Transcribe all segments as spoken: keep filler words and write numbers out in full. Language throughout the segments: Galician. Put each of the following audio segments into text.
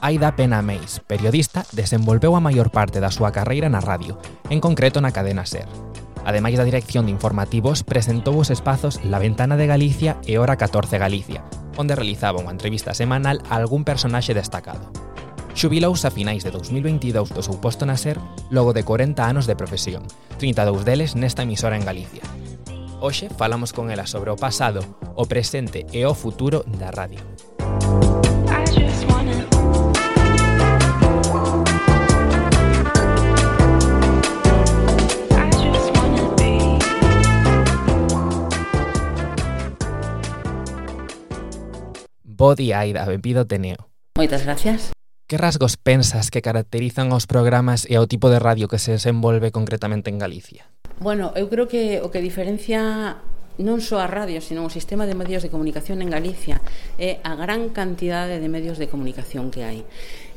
Aida Pena Meis, periodista, desenvolveu a maior parte da súa carreira na radio, en concreto na cadena SER. Ademais da dirección de informativos, presentou os espazos La Ventana de Galicia e Hora catorce Galicia, onde realizaba unha entrevista semanal a algún personaxe destacado. Xubilouse a finais de dous mil veintidous do seu posto na SER logo de corenta anos de profesión, trinta e dous deles nesta emisora en Galicia. Hoxe falamos con ela sobre o pasado, o presente e o futuro da radio. Bo día, Aida, benvido te Neo. Moitas gracias. Que rasgos pensas que caracterizan os programas e o tipo de radio que se desenvolve concretamente en Galicia? Bueno, eu creo que o que diferencia non só a radio, sino o sistema de medios de comunicación en Galicia é a gran cantidade de medios de comunicación que hai.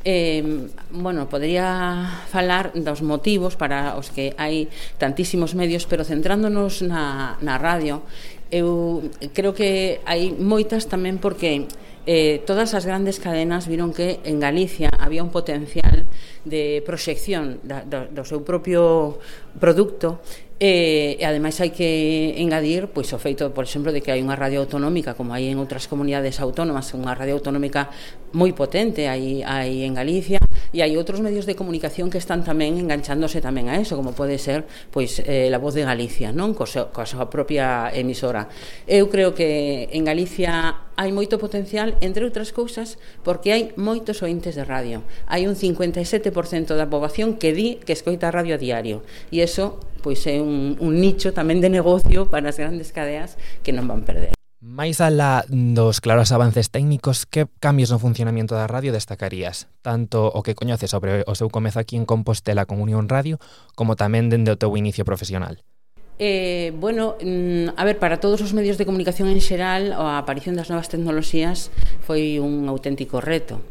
Eh, bueno, podría falar dos motivos para os que hai tantísimos medios, pero centrándonos na, na radio, eu creo que hai moitas tamén porque Eh, todas as grandes cadenas viron que en Galicia había un potencial de proxección da, do, do seu propio produto e, e ademais hai que engadir pois, o feito, por exemplo, de que hai unha radio autonómica como hai en outras comunidades autónomas, unha radio autonómica moi potente hai, hai en Galicia, e hai outros medios de comunicación que están tamén enganchándose tamén a eso, como pode ser pois eh, La Voz de Galicia, non? Co seu, coa súa propia emisora. Eu creo que en Galicia hai moito potencial, entre outras cousas, porque hai moitos ointes de radio. Hai un cincuenta e sete por cento da poboación que di que escoita a radio a diario, e iso pois é un, un nicho tamén de negocio para as grandes cadeas que non van perder. Mais alá dos claros avances técnicos, que cambios no funcionamento da radio destacarías? Tanto o que coñeces sobre o seu comezo aquí en Compostela con Unión Radio, como tamén dende o teu inicio profesional. Eh, bueno, a ver, para todos os medios de comunicación en xeral, a aparición das novas tecnoloxías foi un auténtico reto.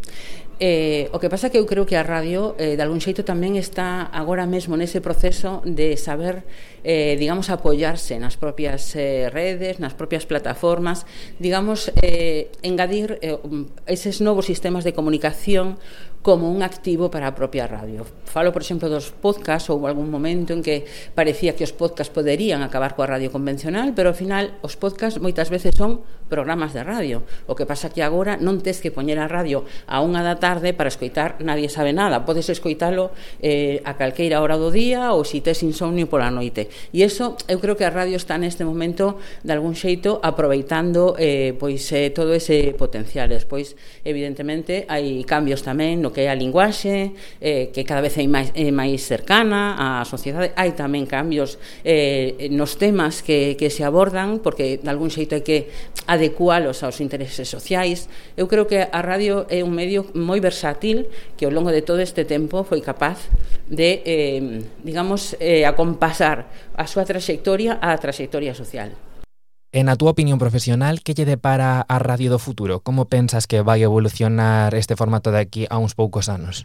Eh, o que pasa que eu creo que a radio eh, de algún xeito tamén está agora mesmo nese proceso de saber eh, digamos, apoiarse nas propias eh, redes, nas propias plataformas, digamos, eh, engadir eh, eses novos sistemas de comunicación como un activo para a propia radio. Falo, por exemplo, dos podcasts, ou algún momento en que parecía que os podcasts poderían acabar coa radio convencional, pero ao final os podcasts moitas veces son programas de radio. O que pasa que agora non tes que poñer a radio a unha da tarde para escoitar Nadie sabe nada. Podes escoitalo eh, a calqueira hora do día ou se tes insomnio pola noite. E iso, eu creo que a radio está neste momento de algún xeito aproveitando eh, pois eh, todo ese potencial. Despois, evidentemente, hai cambios tamén no que é a linguaxe, eh, que cada vez é máis, é máis cercana á sociedade. Hai tamén cambios eh, nos temas que, que se abordan, porque de algún xeito hai que adecualos aos intereses sociais. Eu creo que a radio é un medio moi versátil que ao longo de todo este tempo foi capaz de, eh, digamos, eh, acompasar a súa traxectoria á traxectoria social. E na túa opinión profesional, que lle depara a radio do futuro? Como pensas que vai evolucionar este formato de aquí a uns poucos anos?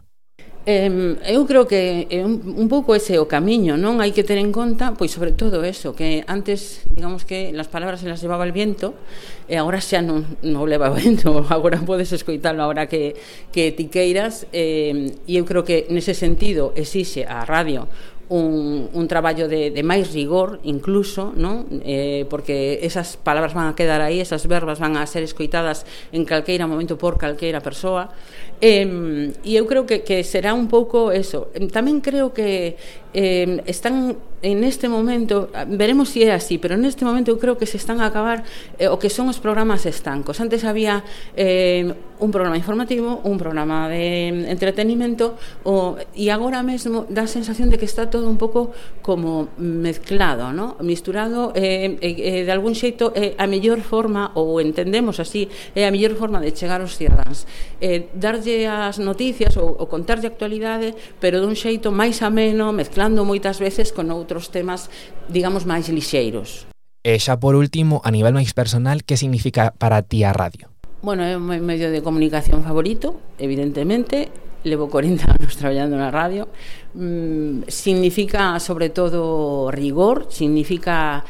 Eh, eu creo que é un, un pouco ese o camiño, non? Hai que ter en conta, pois sobre todo eso, que antes, digamos que las palabras se las llevaba el viento, e agora xa non, non leva o vento, agora podes escoitalo agora que, que ti queiras, eh, e eu creo que nese sentido exixe a radio un, un traballo de, de máis rigor incluso, non? Eh, porque esas palabras van a quedar aí, esas verbas van a ser escoitadas en calqueira momento por calqueira persoa, eh, e eu creo que, que será un pouco eso. Tamén creo que eh, están en este momento, veremos si é así, pero neste momento eu creo que se están a acabar eh, o que son os programas estancos. Antes había eh, un programa informativo, un programa de entretenimento, o, e agora mesmo dá a sensación de que está todo un pouco como mezclado, ¿no? Misturado, eh, eh, de algún xeito é a mellor forma, ou entendemos así, é a mellor forma de chegar aos cidadáns, eh, darlle as noticias ou, ou contarlle a actualidade, pero dun xeito máis ameno, mezclando moitas veces con outros temas, digamos, máis lixeiros. E xa por último, a nivel máis personal, que significa para ti a radio? Bueno, é un medio de comunicación favorito, evidentemente. Levo corenta anos traballando na radio. Mm, significa, sobre todo, rigor, significa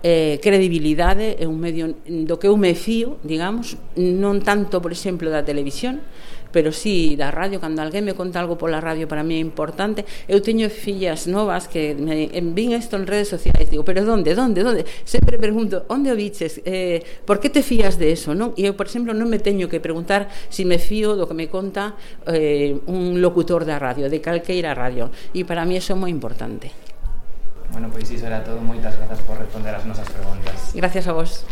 eh, credibilidade, é un medio do que eu me fío, digamos, non tanto, por exemplo, da televisión, pero sí da radio. Cando alguén me conta algo pola radio, para mí é importante. Eu teño fillas novas que me envían isto en redes sociais, digo, pero donde, donde, donde? Sempre pregunto, onde o viches? Eh, por que te fías de eso, non? E eu, por exemplo, non me teño que preguntar si me fío do que me conta eh, un locutor da radio, de calqueira radio, e para mí eso é moi importante. Bueno, pois iso era todo. Moitas grazas por responder as nosas preguntas. Gracias a vos.